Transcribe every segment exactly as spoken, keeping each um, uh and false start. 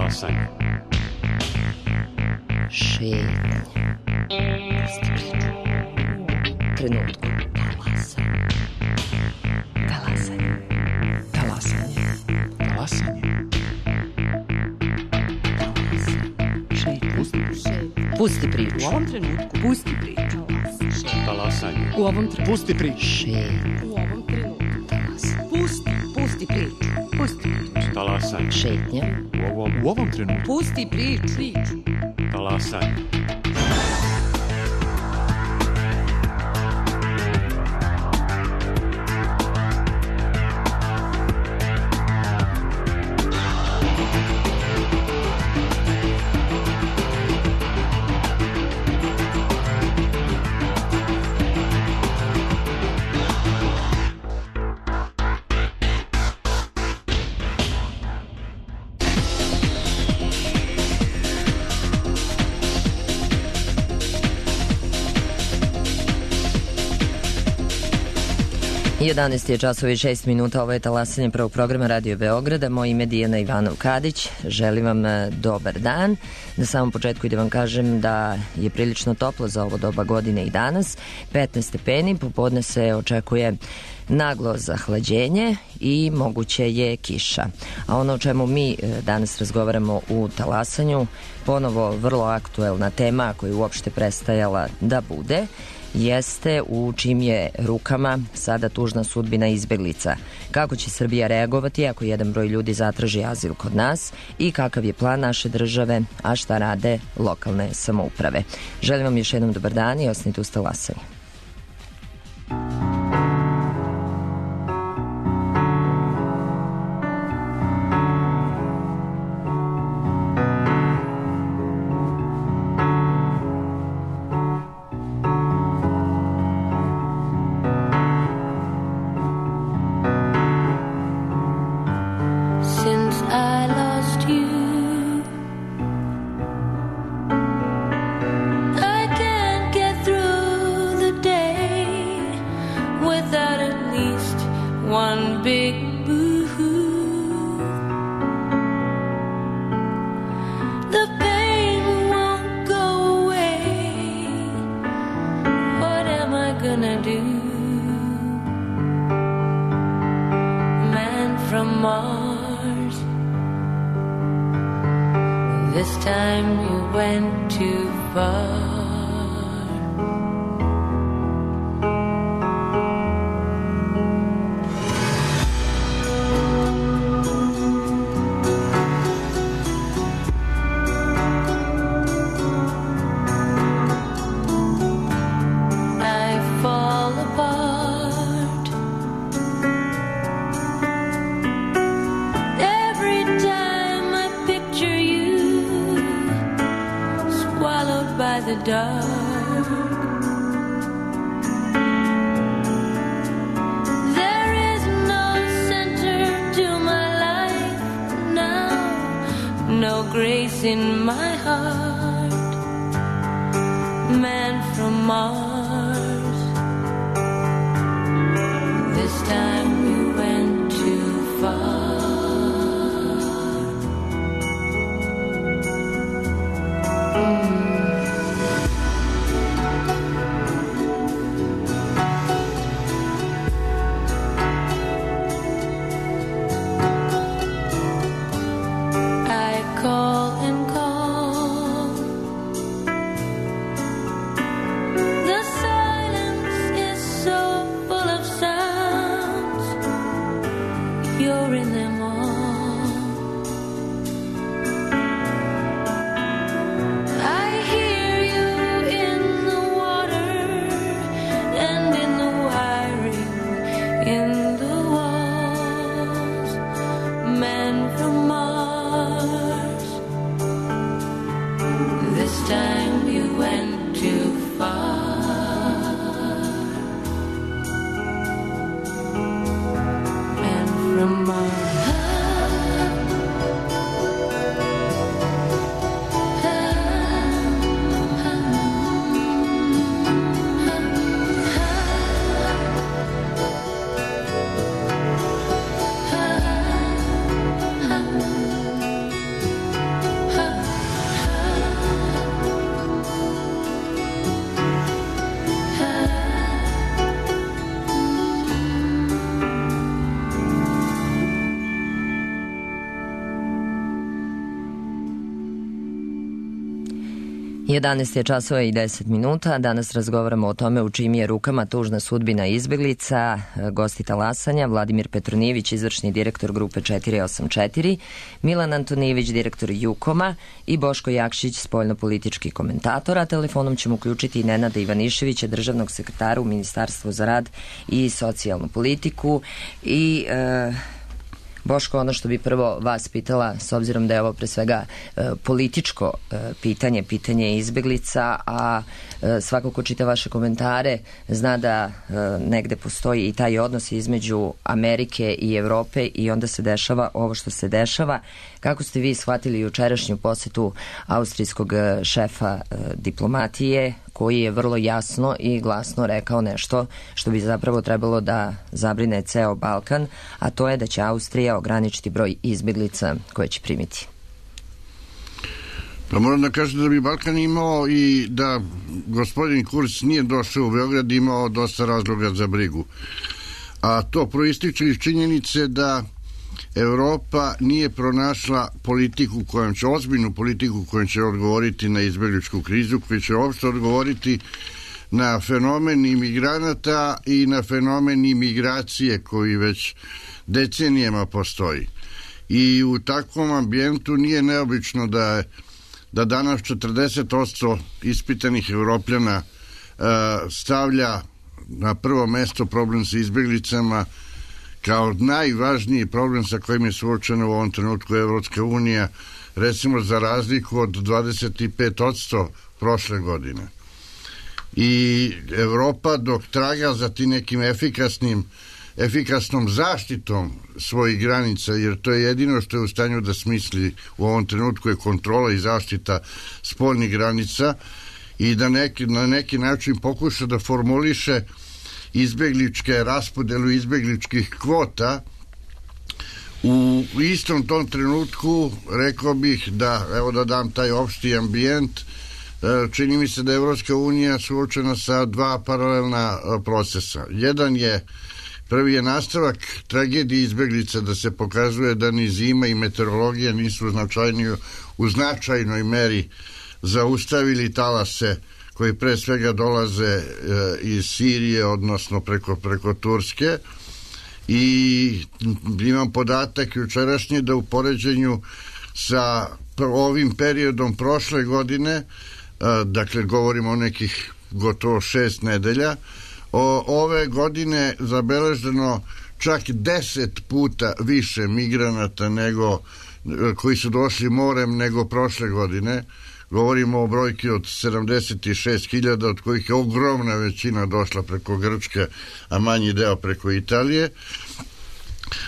Talasanje. Šetnja. Trenutku. Talasanje. Talasanje. Talasanje. Talasanje. Šetnja. Pusti priču. Pusti priču. U ovom trenutku. Pusti priču. Talasanje. U ovom trenutku. Pusti priču. Šetnja. U ovom trenutku. Talasanje. Pusti. Pusti priču. Pusti priču. Talasanje. Šetnja. U ovom, U ovom trenutku. Pusti priču. Priču. talasanje. jedanaest je časova i šest minuta, ovo je talasanje prvog programa Radio Beograda. Moje ime je Dijana Ivanov-Kadić, želim vam dobar dan. Na samom početku i da vam kažem da je prilično toplo za ovo doba godine i danas, petnaest stepeni, popodne se očekuje naglo zahlađenje i moguće je kiša. A ono o čemu mi danas razgovaramo u talasanju, ponovo vrlo aktuelna tema koja je uopšte prestajala da bude, jeste u čim je rukama sada tužna sudbina izbeglica. Kako će Srbija reagovati ako jedan broj ljudi zatraži azil kod nas i kakav je plan naše države, a šta rade lokalne samouprave. Želim vam još jednom dobar dan i ostanite uz talasanje. The jedanaest je časova i deset minuta. Danas razgovaramo o tome u čijim je rukama tužna sudbina izbeglica. Gosti talasanja: Vladimir Petronijević, izvršni direktor grupe četiri osam četiri, Milan Antonijević, direktor Jukoma i Boško Jakšić, spoljnopolitički komentator. A telefonom ćemo uključiti i Nenada Ivaniševića, državnog sekretara u Ministarstvu za rad i socijalnu politiku. I e, Boško, ono što bi prvo vas pitala, s obzirom da je ovo pre svega e, političko e, pitanje, pitanje izbeglica, a e, svako ko čita vaše komentare zna da e, negde postoji i taj odnos između Amerike i Evrope i onda se dešava ovo što se dešava. Kako ste vi shvatili jučerašnju posetu austrijskog šefa e, diplomatije, koji je vrlo jasno i glasno rekao nešto što bi zapravo trebalo da zabrine ceo Balkan, a to je da će Austrija ograničiti broj izbeglica koje će primiti? Pa moram da kažem da bi Balkan imao i da gospodin Kurz nije došao u Beograd, imao dosta razloga za brigu. A to proističe iz činjenice da Evropa nije pronašla politiku kojom će, ozbiljnu politiku kojom će odgovoriti na izbegličku krizu, koja će uopšte odgovoriti na fenomen imigranata i na fenomen imigracije koji već decenijama postoji. I u takvom ambijentu nije neobično da, da danas četrdeset posto ispitanih Evropljana uh, stavlja na prvo mesto problem sa izbeglicama kao najvažniji problem sa kojim je suočena u ovom trenutku Evropska unija, recimo za razliku od dvadeset pet posto prošle godine. I Evropa, dok traga za tim nekim efikasnim, efikasnom zaštitom svojih granica, jer to je jedino što je u stanju da smisli u ovom trenutku, je kontrola i zaštita spoljnih granica i da neki, na neki način pokuša da formuliše izbegličke raspodelu izbegličkih kvota. U istom tom trenutku rekao bih da, evo da dam taj opšti ambijent, čini mi se da je Evropska unija suočena sa dva paralelna procesa. Jedan je, prvi je nastavak tragedije izbeglica, da se pokazuje da ni zima i meteorologija nisu značajniju, u značajnoj meri zaustavili talase koji pre svega dolaze e, iz Sirije, odnosno preko, preko Turske. I imam podatak jučerašnji da u poređenju sa ovim periodom prošle godine, e, dakle govorimo o nekih gotovo šest nedelja, o, ove godine zabeleženo čak deset puta više migranata nego, koji su došli morem nego prošle godine. Govorimo o brojki od sedamdeset šest hiljada, od kojih je ogromna većina došla preko Grčke, a manji deo preko Italije.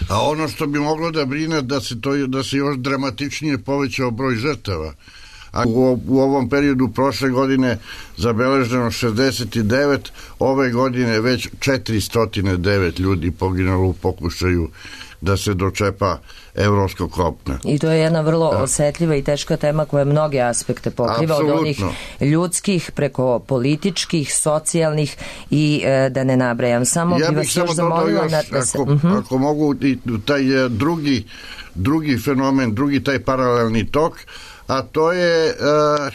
A ono što bi moglo da brine da se, to, da se još dramatičnije povećao broj žrtava. A u, u ovom periodu prošle godine zabeleženo šezdeset devet, ove godine već četiristo devet ljudi poginulo u pokušaju da se dočepa evropskog kopna. I to je jedna vrlo da. osetljiva i teška tema koja mnoge aspekte pokriva. Absolutno. Od onih ljudskih preko političkih, socijalnih i e, da ne nabrajam. Samo ja bi vas još zamolila još, da se... Ako, uh-huh. ako mogu, taj drugi, drugi fenomen, drugi taj paralelni tok, a to je uh,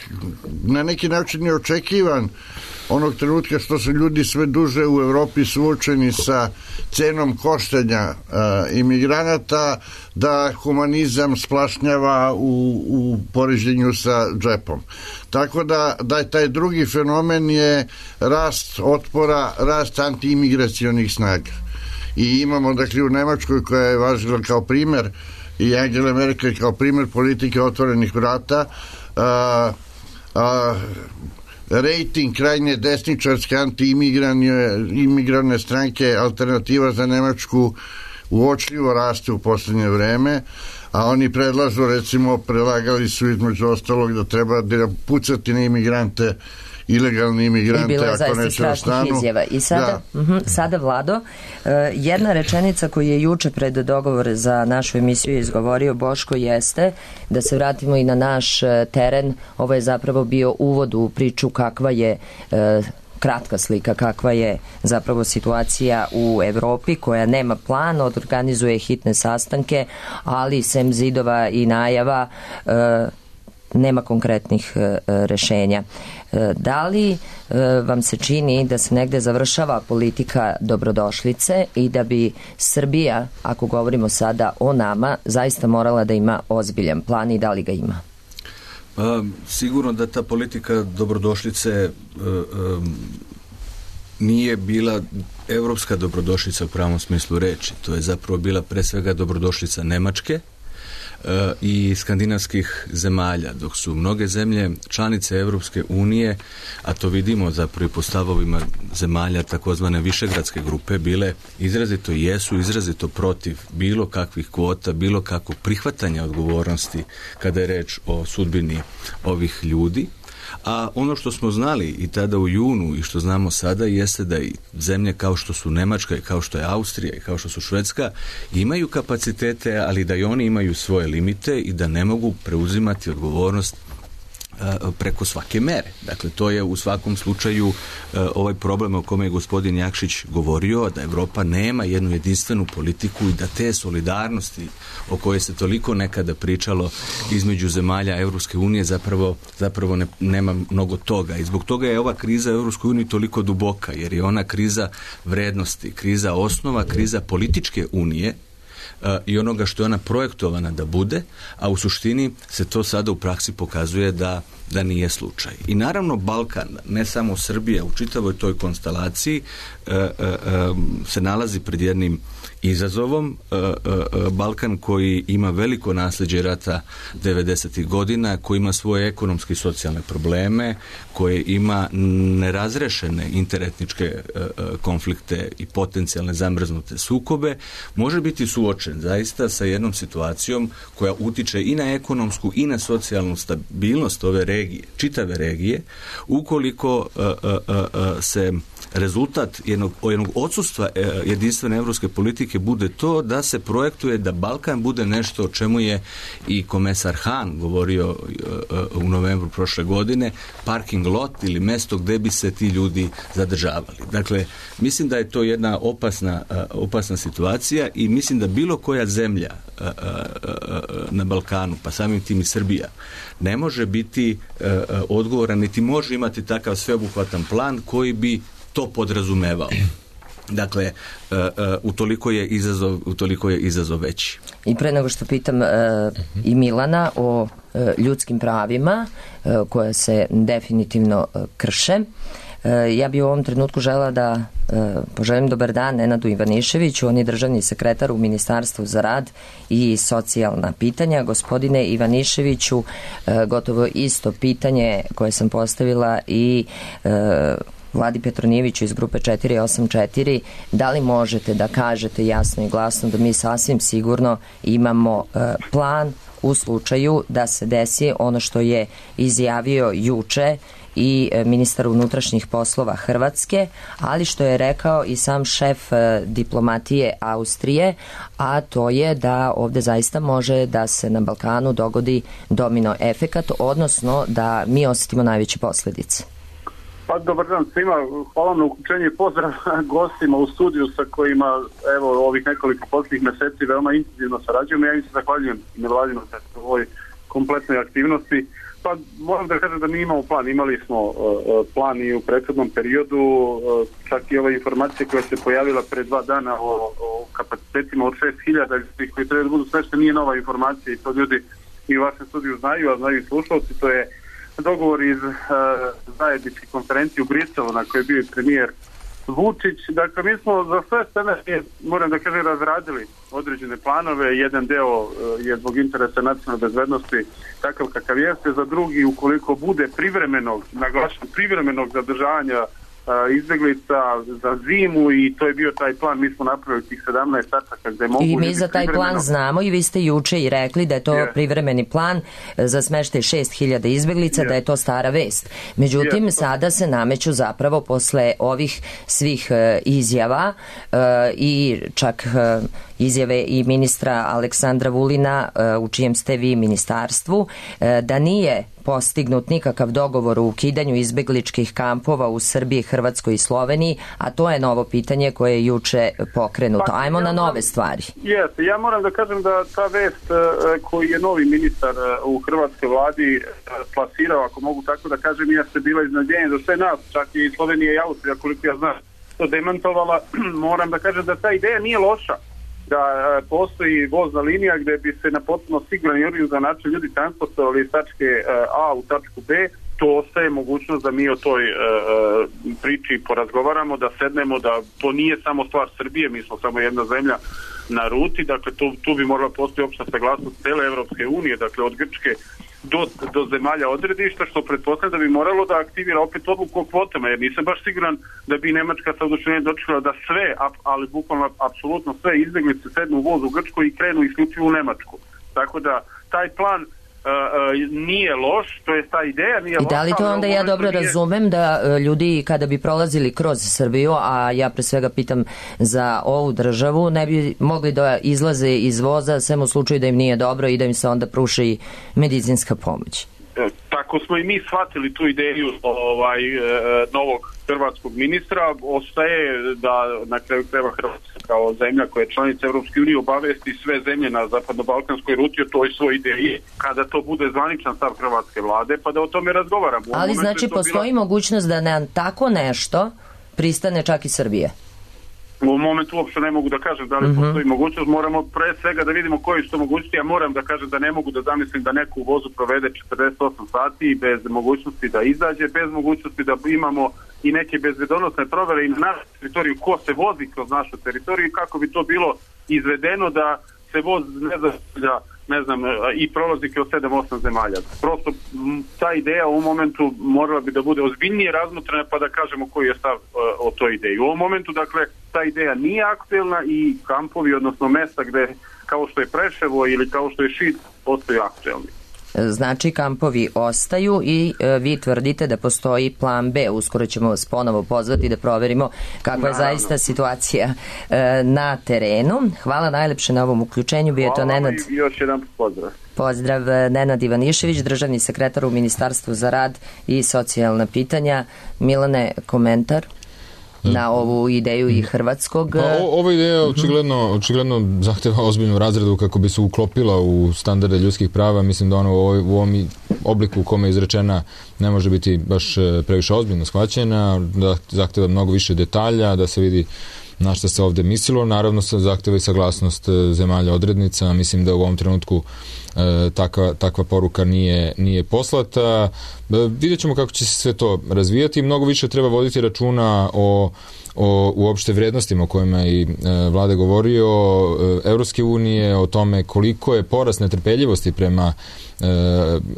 na neki način neočekivan onog trenutka što su ljudi sve duže u Evropi suočeni sa cenom koštanja uh, imigranata, da humanizam splašnjava u, u poređenju sa džepom. Tako da, da taj drugi fenomen je rast otpora, rast antiimigracionih snaga. I imamo, dakle, u Nemačkoj, koja je važila kao primer, i Angela Merkel kao primer politike otvorenih vrata, a, a, rejting krajnje desničarske anti-imigrane stranke Alternativa za Nemačku uočljivo raste u poslednje vreme, a oni predlažu, recimo, predlagali su između ostalog da treba da pucati na imigrante, ilegalni imigrante, ako neće ostanu. Izjava. I sada, da. uh-huh, sada Vlado, uh, jedna rečenica koju je juče pred dogovor za našu emisiju izgovorio Boško jeste, da se vratimo i na naš uh, teren. Ovo je zapravo bio uvod u priču kakva je uh, kratka slika kakva je zapravo situacija u Evropi, koja nema plan, organizuje hitne sastanke, ali sem zidova i najava uh, nema konkretnih e, rešenja. E, da li e, vam se čini da se negde završava politika dobrodošlice i da bi Srbija, ako govorimo sada o nama, zaista morala da ima ozbiljan plan i da li ga ima? Pa, sigurno da ta politika dobrodošlice e, e, nije bila evropska dobrodošlica u pravom smislu reči. To je zapravo bila pre svega dobrodošlica Nemačke e, i skandinavskih zemalja, dok su mnoge zemlje članice Evropske unije, a to vidimo zapravo i po stavovima zemalja takozvane višegradske grupe, bile izrazito jesu, izrazito protiv bilo kakvih kvota, bilo kakvog prihvatanja odgovornosti kada je reč o sudbini ovih ljudi. A ono što smo znali i tada u junu i što znamo sada jeste da i zemlje kao što su Nemačka i kao što je Austrija i kao što su Švedska imaju kapacitete, ali da i oni imaju svoje limite i da ne mogu preuzimati odgovornost preko svake mere. Dakle, to je u svakom slučaju ovaj problem o kome je gospodin Jakšić govorio, da Evropa nema jednu jedinstvenu politiku i da te solidarnosti o kojoj se toliko nekada pričalo između zemalja Evropske unije zapravo, zapravo ne, nema mnogo toga. I zbog toga je ova kriza u Evropskoj uniji toliko duboka, jer je ona kriza vrednosti, kriza osnova, kriza političke unije i onoga što je ona projektovana da bude, a u suštini se to sada u praksi pokazuje da, da nije slučaj. I naravno Balkan, ne samo Srbija, u čitavoj toj konstelaciji e, e, e, se nalazi pred jednim izazovom. E, e, Balkan koji ima veliko nasljeđe rata devedesetih godina, koji ima svoje ekonomske i socijalne probleme, koje ima nerazrešene interetničke e, konflikte i potencijalne zamrznute sukobe, može biti suočen zaista sa jednom situacijom koja utiče i na ekonomsku i na socijalnu stabilnost ove regije, čitave regije, ukoliko uh, uh, uh, se rezultat jednog, jednog odsustva uh, jedinstvene evropske politike bude to da se projektuje da Balkan bude nešto o čemu je i komesar Han govorio uh, uh, u novembru prošle godine, parking lot ili mesto gde bi se ti ljudi zadržavali. Dakle, mislim da je to jedna opasna, uh, opasna situacija i mislim da bilo koja zemlja uh, uh, uh, na Balkanu, pa samim tim i Srbija, ne može biti uh, odgovoran, niti može imati takav sveobuhvatan plan koji bi to podrazumevao. Dakle, uh, uh, utoliko je izazov, utoliko je izazov veći. I pre nego što pitam uh, i Milana o uh, ljudskim pravima uh, koje se definitivno uh, krše, ja bih u ovom trenutku žela da e, poželim dobar dan Nenadu Ivaniševiću, on je državni sekretar u Ministarstvu za rad i socijalna pitanja. Gospodine Ivaniševiću, e, gotovo isto pitanje koje sam postavila i e, Vladi Petronijeviću iz grupe četiri osam četiri, da li možete da kažete jasno i glasno da mi sasvim sigurno imamo e, plan u slučaju da se desi ono što je izjavio juče i ministar unutrašnjih poslova Hrvatske, ali što je rekao i sam šef diplomatije Austrije, a to je da ovde zaista može da se na Balkanu dogodi domino efekat, odnosno da mi osetimo najveće posledice. Pa dobar dan svima, hvala na uključenje i pozdrav gostima u studiju sa kojima evo ovih nekoliko posljednjih meseci veoma intenzivno sarađujemo. Ja im se zahvaljujem nevladino u ovoj kompletnoj aktivnosti. Pa moram da kažem da mi imamo plan, imali smo uh, plan i u prethodnom periodu, uh, čak i ova informacija koja se pojavila pre dva dana o, o kapacitetima od šest hiljada koji treba da budu sve, nije nova informacija i to ljudi i u vašem studiju znaju, a znaju i slušalci, to je dogovor iz uh, zajedničke konferencije u Briselu na kojoj je bio premijer Vučić. Dakle, mi smo za sve scene, moram da kažem, razradili određene planove. Jedan deo uh, je zbog interesa nacionalne bezbednosti takav kakav jeste, za drugi, ukoliko bude privremenog, naglašen privremenog zadržavanja izbeglica za zimu, i to je bio taj plan. Mi smo napravili tih sedamnaest tačaka gde mogu... I mi za taj plan znamo i vi ste juče i rekli da je to yeah. privremeni plan za smeštaj šest hiljada izbeglica, yeah. da je to stara vest. Međutim, yeah. sada se nameću zapravo posle ovih svih uh, izjava uh, i čak uh, izjave i ministra Aleksandra Vulina uh, u čijem ste vi ministarstvu, uh, da nije postignut nikakav dogovor o ukidanju izbegličkih kampova u Srbiji, Hrvatskoj i Sloveniji, a to je novo pitanje koje je juče pokrenuto. Pa, Ajmo ja na moram, nove stvari. Jeste, ja moram da kažem da ta vest koji je novi ministar u hrvatskoj vladi plasirao, ako mogu tako da kažem, jeste bila iznenađenje za sve nas, čak i Slovenija i Austrija, koliko ja znam, to demantovala. Moram da kažem da ta ideja nije loša, da postoji vozna linija gde bi se na potpuno siguran i organizovan način ljudi transportovali iz tačke A u tačku B. To ostaje mogućnost da mi o toj e, priči porazgovaramo, da sednemo, da to nije samo stvar Srbije, mi smo samo jedna zemlja na ruti, dakle tu, tu bi morala postoji opšta saglasnost cele Evropske unije, dakle od Grčke do, do zemalja odredišta, što pretpostavlja da bi moralo da aktivira opet odluku o kvotama, jer nisam baš siguran da bi Nemačka sa oduševljenjem dočekala da sve, ali bukvalno apsolutno sve izbeglice sednu u voz u Grčku i krenu isključivo u Nemačku. Tako da taj plan Uh, uh, nije loš, to je ta ideja nije loša. I da li to onda ja dobro nije... razumem da uh, ljudi kada bi prolazili kroz Srbiju, a ja pre svega pitam za ovu državu, ne bi mogli da izlaze iz voza sem u slučaju da im nije dobro i da im se onda pruši medicinska pomoć? Tako smo i mi shvatili tu ideju ovaj, novog hrvatskog ministra. Ostaje da na kraju krajeva Hrvatska kao zemlja koja je članica Evropske unije obavesti sve zemlje na zapadno-balkanskoj ruti o toj svoj ideji kada to bude zvaničan stav hrvatske vlade, pa da o tome razgovaramo. Ali znači postoji bila... mogućnost da na tako nešto pristane čak i Srbije? U ovom momentu uopšte ne mogu da kažem da li uh-huh. postoji mogućnost, moramo pre svega da vidimo koji su to mogućnosti. Ja moram da kažem da ne mogu da zamislim da neko u vozu provede četrdeset osam sati bez mogućnosti da izađe, bez mogućnosti da imamo i neke bezbedonosne provere i na našu teritoriju ko se vozi kroz našu teritoriju, kako bi to bilo izvedeno da se voz ne zastavlja ne znam, i prolazi kroz sedam osam zemalja. Prosto ta ideja u ovom momentu morala bi da bude ozbiljnije razmotrena pa da kažemo koji je stav uh, o toj ideji. U ovom momentu, dakle, ta ideja nije aktuelna i kampovi, odnosno mesta gde, kao što je Preševo ili kao što je Šid, postaju aktuelni. Znači kampovi ostaju i e, vi tvrdite da postoji plan B. Uskoro ćemo vas ponovo pozvati da proverimo kakva je zaista situacija e, na terenu. Hvala najlepše na ovom uključenju. Bio je to Nenad. I još jedan pozdrav. Pozdrav, Nenad Ivanišević, državni sekretar u Ministarstvu za rad i socijalna pitanja. Milane, komentar na ovu ideju i hrvatskog... Pa, o, ova ideja očigledno, očigledno zahteva ozbiljnu razradu kako bi se uklopila u standarde ljudskih prava. Mislim da ona u, ovoj, u ovom obliku u kome je izrečena ne može biti baš previše ozbiljno shvaćena, da zahteva mnogo više detalja, da se vidi na šta se ovde mislilo. Naravno se zahteva i saglasnost zemalja odrednica. Mislim da u ovom trenutku e, takva, takva poruka nije, nije poslata. E, vidjet ćemo kako će se sve to razvijati. Mnogo više treba voditi računa o o uopšte vrednostima o kojima je i e, vlada govorio, e, Evropske unije, o tome koliko je porast netrpeljivosti prema e,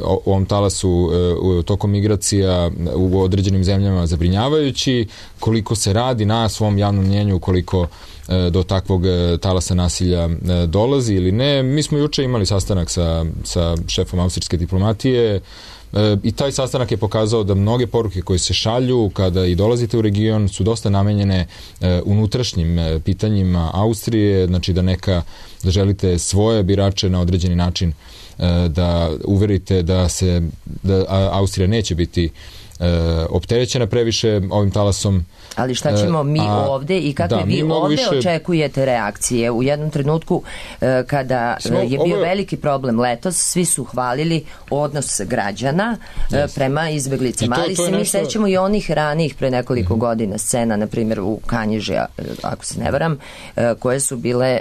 o, ovom talasu e, u, tokom migracija u određenim zemljama zabrinjavajući, koliko se radi na svom javnom mnjenju, koliko e, do takvog e, talasa nasilja e, dolazi ili ne. Mi smo juče imali sastanak sa, sa šefom austrijske diplomatije i taj sastanak je pokazao da mnoge poruke koje se šalju kada i dolazite u region su dosta namenjene unutrašnjim pitanjima Austrije, znači da neka, da želite svoje birače na određeni način da uverite da se, da Austrija neće biti opterećena previše ovim talasom. Ali šta ćemo mi A, ovde i kakve da, vi ovde više... očekujete reakcije? U jednom trenutku kada Smo, je bio ovo... veliki problem letos, svi su hvalili odnos građana yes. prema izbeglicama. To, Ali to se mi nešto... sećamo i onih ranijih pre nekoliko mm-hmm. godina scena, na primjer u Kanjiži, ako se ne varam, koje su bile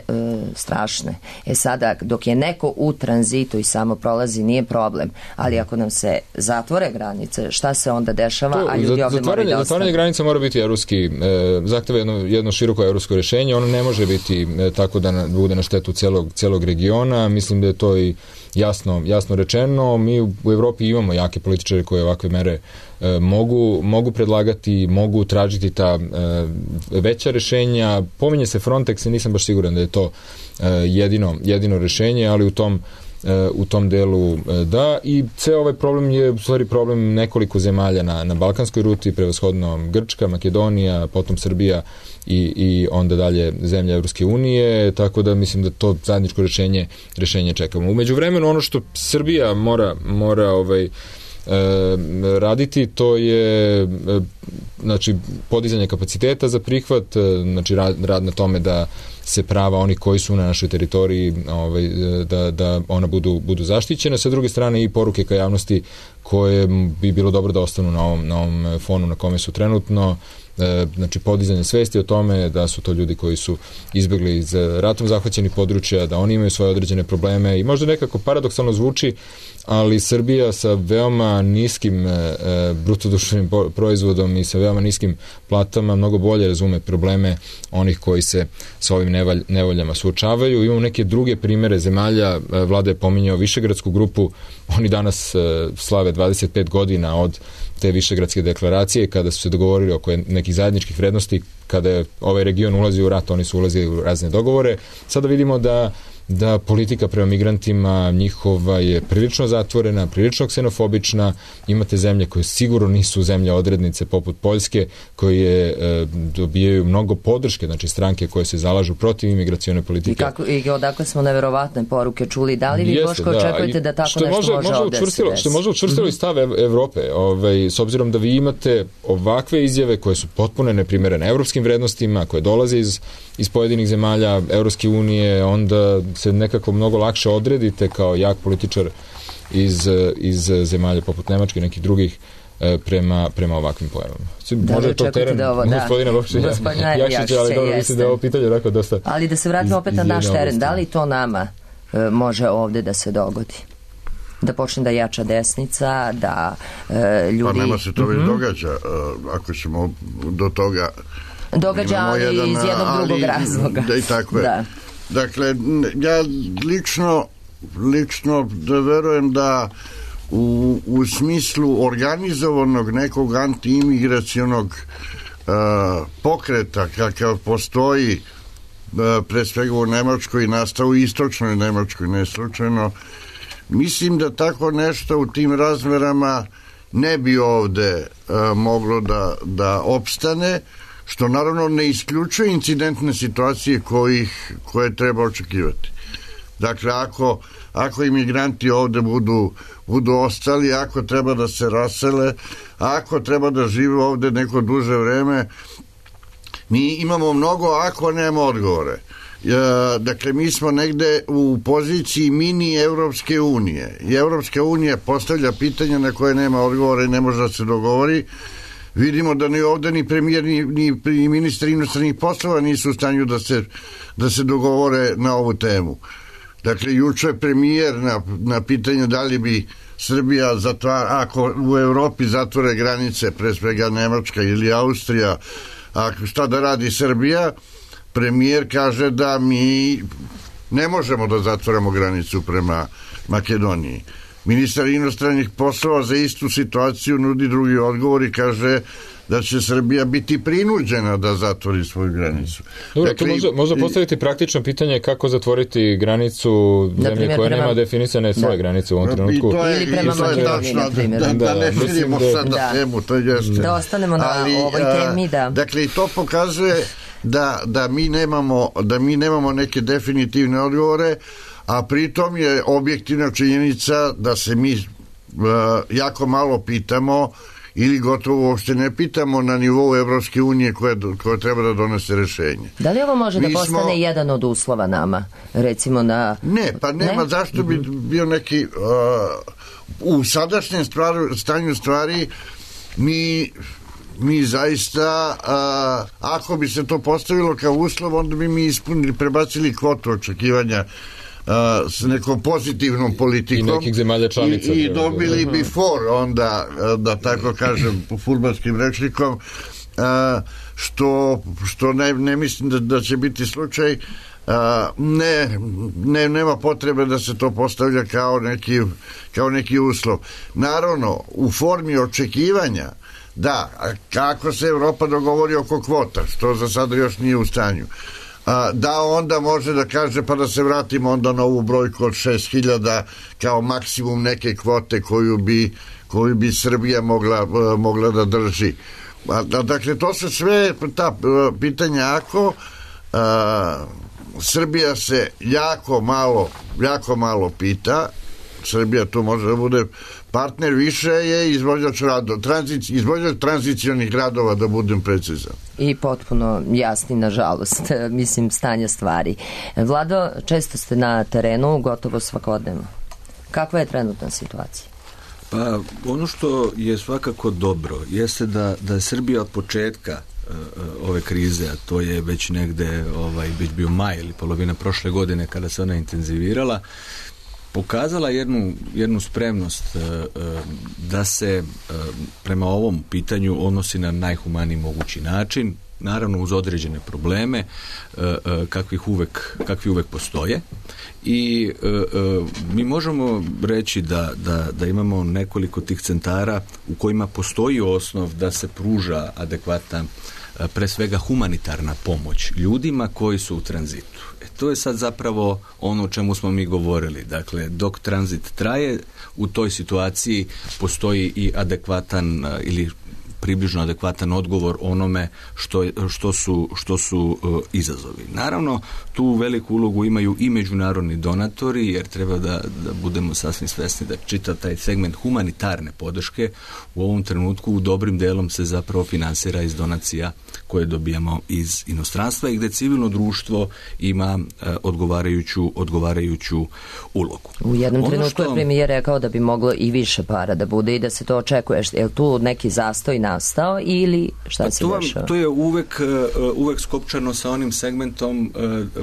strašne. E sada, dok je neko u tranzitu i samo prolazi, nije problem. Ali ako nam se zatvore granice, šta se onda dešava, to, a ljudi ovde moraju da ostane? Zatvaranje granica mora biti evropski, e, zahteva jedno, jedno široko evropsko rešenje, ono ne može biti e, tako da na, bude na štetu celog, celog regiona. Mislim da je to i jasno, jasno rečeno. Mi u, u Evropi imamo jake političare koje ovakve mere e, mogu, mogu predlagati, mogu tražiti ta e, veća rešenja. Pominje se Frontex i nisam baš siguran da je to e, jedino, jedino rešenje, ali u tom u tom delu da, i ceo ovaj problem je u stvari problem nekoliko zemalja na, na balkanskoj ruti, prevashodno Grčka, Makedonija, potom Srbija i, i onda dalje zemlje Evropske unije, tako da mislim da to zajedničko rešenje, rešenje čekamo. Umeđu vremenu ono što Srbija mora, mora ovaj, raditi, to je e, znači podizanje kapaciteta za prihvat, e, znači rad, rad na tome da se prava oni koji su na našoj teritoriji, ovaj, da, da ona budu, budu zaštićene. Sa druge strane i poruke ka javnosti koje bi bilo dobro da ostanu na ovom, na ovom fonu na kome su trenutno, e, znači podizanje svesti o tome da su to ljudi koji su izbjegli iz ratom zahvaćenih područja, da oni imaju svoje određene probleme i možda nekako paradoksalno zvuči, ali Srbija sa veoma niskim e, brutodruštvenim proizvodom i sa veoma niskim platama mnogo bolje razume probleme onih koji se sa ovim nevalj, nevoljama suočavaju. Imamo neke druge primere zemalja, e, Vlada je pominjao Višegradsku grupu, oni danas e, slave dvadeset pet godina od te Višegradske deklaracije, kada su se dogovorili oko nekih zajedničkih vrednosti, kada je ovaj region ulazio u rat, oni su ulazili u razne dogovore. Sada vidimo da da politika prema migrantima njihova je prilično zatvorena, prilično ksenofobična. Imate zemlje koje sigurno nisu zemlje odrednice poput Poljske, koje e, dobijaju mnogo podrške, znači stranke koje se zalažu protiv imigracione politike. I, kako, i odakle smo neverovatne poruke čuli. Da li vi, Jeste, Boško, da. očekujete da tako nešto može, može, može ovdje se desi? Što može učvrstilo i stav Evrope, ovaj, s obzirom da vi imate ovakve izjave koje su potpuno neprimerene evropskim vrednostima, koje dolaze iz, iz pojedinih zemalja Evropske unije, onda se nekako mnogo lakše odredite kao jak političar iz, iz zemalja poput Nemačke i nekih drugih prema, prema ovakvim pojavama. Da, može to teren da ovo, da. gospodina Jakšića, ali dobro, mislim da je ovo pitanje onako dosta... Ali da se vratimo opet na naš teren, da li to nama e, može ovde da se dogodi? Da počne da jača desnica, da e, ljudi... Pa nema se to već mm-hmm. događa, ako ćemo do toga... Događa, ali jedan, iz jednog ali, drugog razloga. Da, i tako je. Da. Dakle, ja lično, lično da verujem da u, u smislu organizovanog nekog antiimigracionog uh, pokreta kakav postoji uh, pre svega u Nemačkoj i nastao u istočnoj Nemačkoj, ne slučajno, mislim da tako nešto u tim razmerama ne bi ovde uh, moglo da, da opstane, što naravno ne isključuje incidentne situacije kojih, koje treba očekivati. Dakle, ako, ako imigranti ovde budu, budu ostali, ako treba da se rasele, ako treba da žive ovde neko duže vreme, mi imamo mnogo ako nema odgovore. Dakle, mi smo negde u poziciji mini Evropske unije i Evropska unija postavlja pitanja na koje nema odgovore i ne može da se dogovori. Vidimo da ni ovde ni premijer ni, ni ministri inostranih poslova nisu u stanju da se, da se dogovore na ovu temu. Dakle, juče premijer na, na pitanje da li bi Srbija zatvara, ako u Evropi zatvore granice, pre svega Nemačka ili Austrija, a šta da radi Srbija, premijer kaže da mi ne možemo da zatvoramo granicu prema Makedoniji. Ministar inostranih poslova za istu situaciju nudi drugi odgovor i kaže da će Srbija biti prinuđena da zatvori svoju granicu. Dobro, dakle, tu možda, možda postaviti praktično pitanje kako zatvoriti granicu zemlje koja prema... nema definisane svoje da. granice u ovom trenutku. Je, ili prema Makedoniji, na primjer. Da, da, da ne širimo da, sad na temu, to jeste. Da ostanemo na Ali, ovoj temi, da. Dakle, i to pokazuje da, da, mi nemamo, da mi nemamo neke definitivne odgovore, a pritom je objektivna činjenica da se mi uh, jako malo pitamo ili gotovo uopšte ne pitamo na nivou Evropske unije koja, koja treba da donese rešenje. Da li ovo može mi da postane smo... jedan od uslova nama? Recimo na... Ne, pa nema, ne? Zašto bi bio neki... Uh, u sadašnjem stvaru, stanju stvari mi... mi zaista, uh, ako bi se to postavilo kao uslov, onda bi mi ispunili, prebacili kvotu očekivanja Uh, s nekom pozitivnom politikom i nekih zemalja članica i, i dobili bi for onda, da tako kažem po fudbalskim rečnikom, uh, što, što ne, ne mislim da, da će biti slučaj. Uh, ne, ne, nema potrebe da se to postavlja kao neki, kao neki uslov. Naravno, u formi očekivanja da, kako se Evropa dogovori oko kvota, što za sada još nije u stanju, da onda može da kaže pa da se vratimo onda na ovu brojku od šest hiljada kao maksimum neke kvote koju bi, koju bi Srbija mogla, mogla da drži. Dakle, to su sve ta pitanja ako a, Srbija se jako malo jako malo pita, Srbija tu može da bude partner, više je izvođač radova, tranzic, izvođač tranzicionih radova, da budem precizan. I potpuno jasni, nažalost, mislim, stanja stvari. Vlado, često ste na terenu, gotovo svakodnevno. Kakva je trenutna situacija? Pa ono što je svakako dobro jeste da, da je Srbija od početka uh, ove krize, a to je već negde ovaj, već bio maj ili polovina prošle godine kada se ona intenzivirala, pokazala jednu, jednu spremnost uh, uh, da se uh, prema ovom pitanju odnosi na najhumaniji mogući način, naravno uz određene probleme uh, uh, kakvih uvek, kakvi uvek postoje. I e, e, mi možemo reći da, da, da imamo nekoliko tih centara u kojima postoji osnov da se pruža adekvatna, pre svega humanitarna pomoć ljudima koji su u tranzitu. E, to je sad zapravo ono o čemu smo mi govorili. Dakle, dok tranzit traje, u toj situaciji postoji i adekvatan ili približno adekvatan odgovor onome što, što su, što su uh, izazovi. Naravno, tu veliku ulogu imaju i međunarodni donatori, jer treba da, da budemo sasvim svesni da čitav taj segment humanitarne podrške u ovom trenutku u dobrim delom se zapravo finansira iz donacija koje dobijamo iz inostranstva i gde civilno društvo ima uh, odgovarajuću, odgovarajuću ulogu. U jednom ono trenutku što... je premijer rekao da bi moglo i više para da bude i da se to očekuje. Je li tu neki zastoj nastao ili šta pa se to, dešava? To je uvek, uvek skopčano sa onim segmentom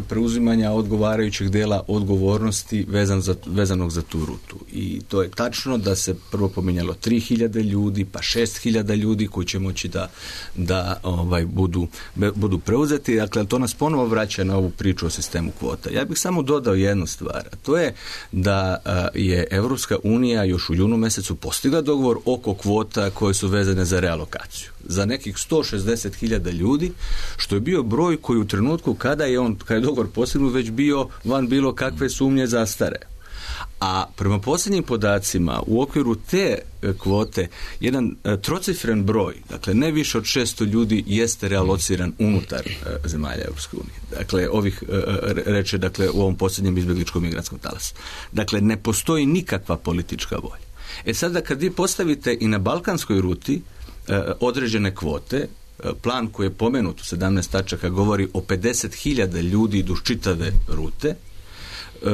preuzimanja odgovarajućeg dela odgovornosti vezan za, vezanog za tu rutu. I to je tačno da se prvo pominjalo tri hiljade ljudi, pa šest hiljada ljudi koji će moći da, da ovaj, budu, budu preuzeti. Dakle, to nas ponovo vraća na ovu priču o sistemu kvota. Ja bih samo dodao jednu stvar, a to je da je Evropska unija još u junu mesecu postigla dogovor oko kvota koje su vezane za realokaciju. Za nekih sto šezdeset hiljada ljudi, što je bio broj koji u trenutku kada je on, kada je dogovor postignut, već bio van bilo kakve sumnje zastare. A prema posljednjim podacima u okviru te kvote jedan trocifren broj, dakle ne više od šesto ljudi jeste realociran unutar zemalja Europske unije. Dakle, ovih reče dakle u ovom posljednjem izbjegličkom migrantskom talasu. Dakle, ne postoji nikakva politička volja. E sada kad vi postavite i na balkanskoj ruti određene kvote, plan koji je pomenut u sedamnaest tačaka govori o pedeset hiljada ljudi duž čitave rute.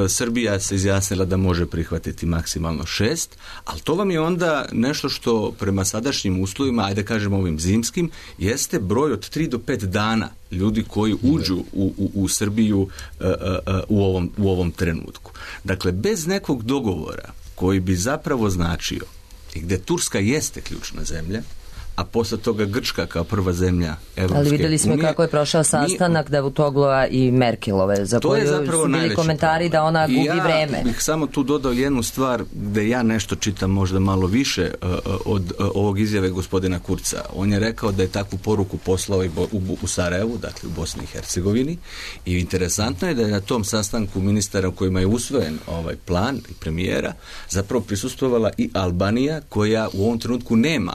Srbija se izjasnila da može prihvatiti maksimalno šest, ali to vam je onda nešto što prema sadašnjim uslovima, ajde kažemo ovim zimskim, jeste broj od tri do pet dana ljudi koji uđu u, u, u Srbiju uh, uh, u, ovom, u ovom trenutku. Dakle, bez nekog dogovora koji bi zapravo značio i gde Turska jeste ključna zemlja, a posle toga Grčka kao prva zemlja Evropske unije. Ali videli smo unije, kako je prošao sastanak mi, Davutoglova i Merkelove, za koju su bili komentari da ona gubi ja vreme. Ja bih samo tu dodao jednu stvar gde ja nešto čitam možda malo više uh, od uh, ovog izjave gospodina Kurca. On je rekao da je takvu poruku poslao i bo, u, u Sarajevu, dakle u Bosni i Hercegovini, i interesantno je da je na tom sastanku ministara u kojima je usvojen ovaj plan i premijera zapravo prisustvovala i Albanija, koja u ovom trenutku nema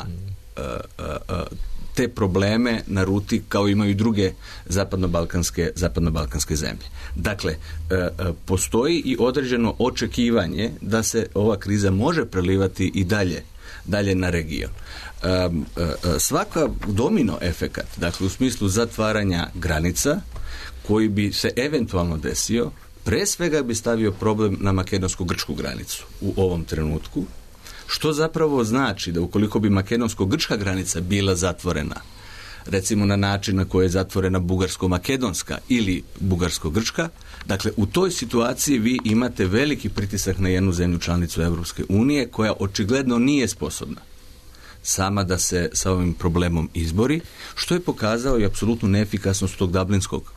te probleme na ruti kao imaju i druge zapadnobalkanske, zapadnobalkanske zemlje. Dakle, postoji i određeno očekivanje da se ova kriza može prelivati i dalje, dalje na region. Svaka domino efekat, dakle u smislu zatvaranja granica, koji bi se eventualno desio, pre svega bi stavio problem na makedonsko-grčku granicu u ovom trenutku, što zapravo znači da ukoliko bi makedonsko-grčka granica bila zatvorena, recimo na način na koji je zatvorena bugarsko-makedonska ili bugarsko-grčka, dakle u toj situaciji vi imate veliki pritisak na jednu zemlju članicu Evropske unije koja očigledno nije sposobna sama da se sa ovim problemom izbori, što je pokazao i apsolutnu neefikasnost tog dublinskog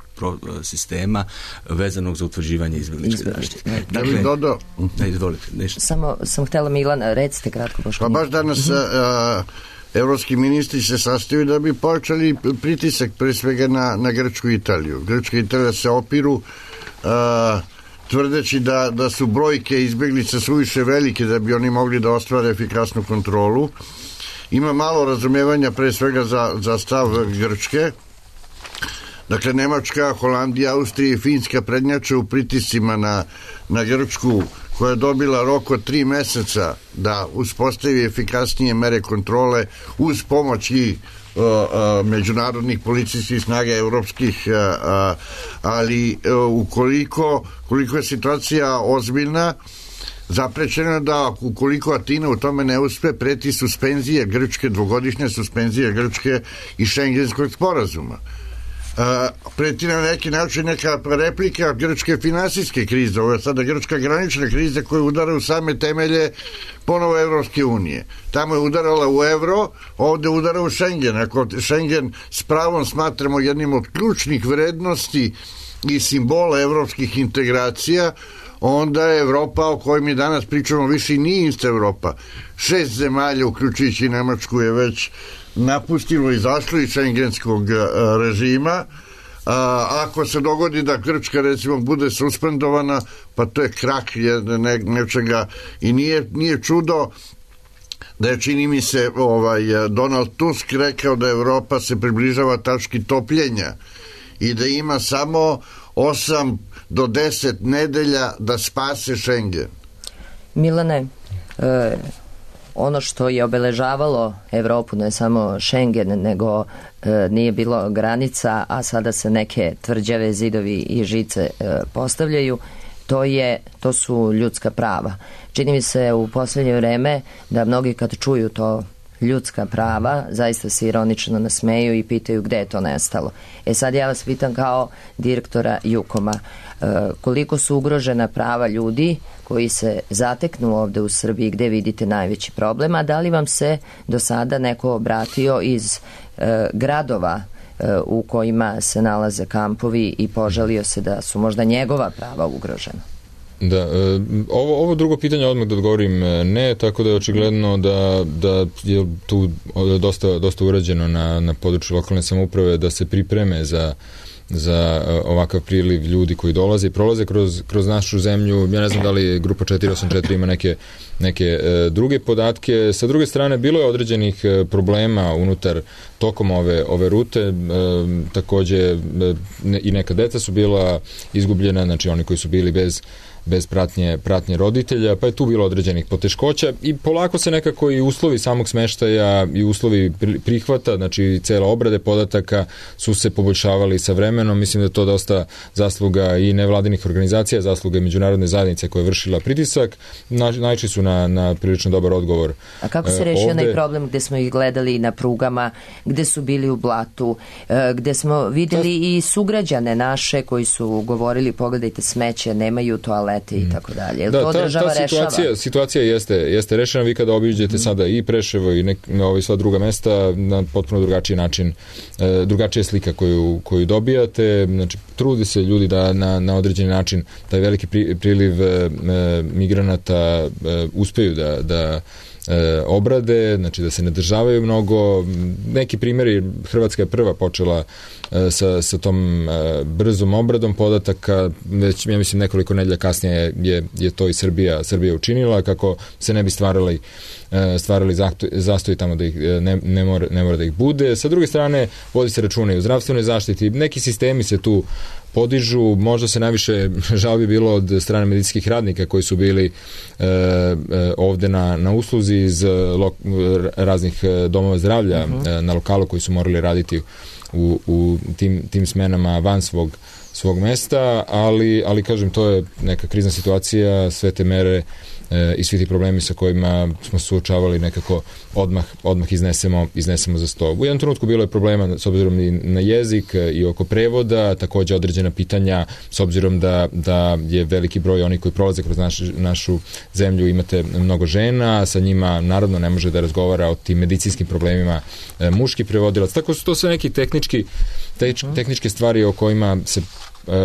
sistema vezanog za utvrđivanje izbjegličke zaštite. Dakle, Dodo, ne, izvolite, nešto. Samo sam htjela, Milan, recite kratko. Pa baš danas mm-hmm. a, evropski ministri se sastaju da bi pojačali pritisak pre svega na, na Grčku i Italiju. Grčka i Italija se opiru a, tvrdeći da, da su brojke izbjeglica suviše velike da bi oni mogli da ostvare efikasnu kontrolu. Ima malo razumevanja pre svega za, za stav Grčke. Dakle, Nemačka, Holandija, Austrija i Finska prednjače u pritiscima na, na Grčku, koja je dobila rok od tri meseca da uspostavi efikasnije mere kontrole uz pomoć i uh, uh, međunarodnih policijskih snaga evropskih, uh, uh, ali uh, ukoliko koliko je situacija ozbiljna, zaprećeno je da ukoliko Atina u tome ne uspe, preti suspenzije Grčke, dvogodišnje suspenzije Grčke i Šengenskog sporazuma. Uh, preti na neki način neka replika grčke finansijske krize. Ovo je sada grčka granična kriza koja udara u same temelje ponovo Evropske unije. Tamo je udarala u evro, ovde udara u Šengen. Ako Šengen s pravom smatramo jednim od ključnih vrednosti i simbola evropskih integracija, onda je Evropa o kojoj mi danas pričamo više nije ista Evropa. Šest zemalja, uključujući Nemačku, je već napustilo i izašlo iz šengenskog režima. A, ako se dogodi da Grčka recimo bude suspendovana, pa to je krak ne, nečega i nije, nije čudo da je, čini mi se, ovaj, Donald Tusk rekao da Evropa se približava tački topljenja i da ima samo osam do deset nedelja da spase Šengen. Milane, e, ono što je obeležavalo Evropu, ne samo Šengen, nego e, nije bilo granica, a sada se neke tvrđave, zidovi i žice e, postavljaju, to je, to su ljudska prava. Čini mi se u posljednje vreme da mnogi kad čuju to ljudska prava, zaista se ironično nasmeju i pitaju gde je to nestalo. E sad ja vas pitam kao direktora Jukoma, e, koliko su ugrožena prava ljudi koji se zateknu ovde u Srbiji, gde vidite najveći problem, a da li vam se do sada neko obratio iz e, gradova e, u kojima se nalaze kampovi i požalio se da su možda njegova prava ugrožena? Da, ovo, ovo drugo pitanje odmah da odgovorim ne, tako da je očigledno da, da je tu dosta, dosta urađeno na, na području lokalne samouprave da se pripreme za, za ovakav priliv ljudi koji dolaze i prolaze kroz, kroz našu zemlju. Ja ne znam da li grupa četiri osam četiri ima neke, neke e, druge podatke. Sa druge strane, bilo je određenih e, problema unutar tokom ove, ove rute. E, takođe e, ne, i neka deca su bila izgubljena, znači oni koji su bili bez bez pratnje, pratnje roditelja, pa je tu bilo određenih poteškoća i polako se nekako i uslovi samog smeštaja i uslovi prihvata, znači cela obrade podataka su se poboljšavali sa vremenom. Mislim da je to dosta zasluga i nevladinih organizacija, zasluga i međunarodne zajednice koja je vršila pritisak. Na, naišli su na, na prilično dobar odgovor. A kako se rešio onaj problem gde smo ih gledali na prugama, gde su bili u blatu, gde smo videli Ta... i sugrađane naše koji su govorili pogledajte smeće, nemaju toalete i tako dalje. Jel da, to ta, država ta situacija, rešava? Situacija jeste, jeste rešena. Vi kada obiđete mm. sada i Preševo i nek, ovaj, sva druga mesta na potpuno drugačiji način, e, drugačija slika koju, koju dobijate. Znači, trudi se ljudi da na, na određeni način taj veliki pri, priliv e, migranata e, uspeju da, da e, obrade, znači da se ne državaju mnogo. Neki primjeri, Hrvatska je prva počela e, sa, sa tom e, brzom obradom podataka, već ja mislim nekoliko nedelja kasnije je, je to i Srbija, Srbija učinila, kako se ne bi stvarali stvarali zastoj tamo da ih ne, ne, mora, ne mora da ih bude. Sa druge strane, vodi se računa i u zdravstvenoj zaštiti. Neki sistemi se tu podižu, možda se najviše žalbi bilo od strane medicinskih radnika koji su bili e, e, ovde na, na usluzi iz lo, raznih domova zdravlja uh-huh. e, na lokalu koji su morali raditi u, u tim, tim smenama van svog, svog mesta, ali, ali kažem, to je neka krizna situacija, sve te mere e, i svi ti problemi sa kojima smo suočavali nekako odmah, odmah iznesemo, iznesemo za sto. U jednom trenutku bilo je problema s obzirom i na jezik i oko prevoda, takođe određena pitanja s obzirom da, da je veliki broj onih koji prolaze kroz naš, našu zemlju, imate mnogo žena, sa njima naravno ne može da razgovara o tim medicinskim problemima e, muški prevodilac. Tako su to sve neki tehnički, teč, tehničke stvari o kojima se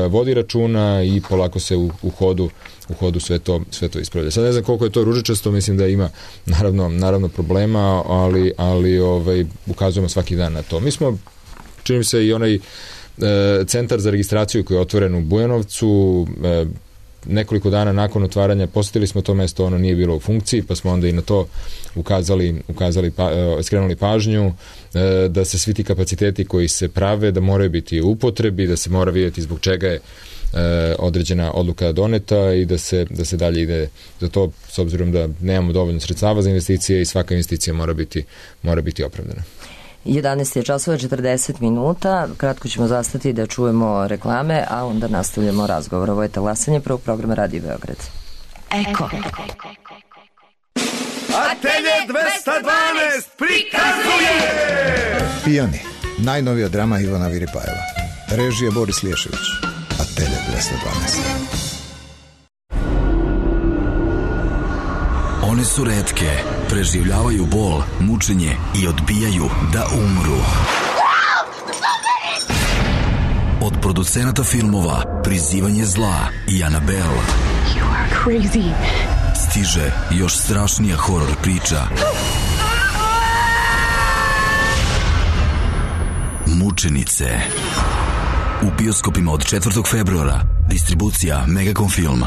vodi računa i polako se u, u hodu u hodu sve to, sve to ispravlja. Sad ne znam koliko je to ružičasto, mislim da ima naravno, naravno problema, ali, ali ovaj, ukazujemo svaki dan na to. Mi smo, čini mi se, i onaj e, centar za registraciju koji je otvoren u Bujanovcu, e, nekoliko dana nakon otvaranja posjetili smo to mesto, ono nije bilo u funkciji, pa smo onda i na to ukazali, ukazali pa, skrenuli pažnju da se svi ti kapaciteti koji se prave, da moraju biti u upotrebi, da se mora vidjeti zbog čega je određena odluka doneta i da se, da se dalje ide za to, s obzirom da nemamo dovoljno sredstava za investicije i svaka investicija mora biti, mora biti opravdana. jedanaest je časova četrdeset minuta, kratko ćemo zastati da čujemo reklame, a onda nastavljamo razgovor. Ovo je talasanje prvog programa Radio Beograd. Eko. Atelje dvesta dvanaest prikazuje Pijani, najnovija drama Ivana Viripajeva. Režija Boris Liješević. Atelje dvesta dvanaest. One su retke, preživljavaju bol, mučenje i odbijaju da umru. Od producenata filmova Prizivanje zla i Annabelle You are crazy. stiže još strašnija horor priča. Mučenice. U bioskopima od četvrtog februara. Distribucija Megacom Film.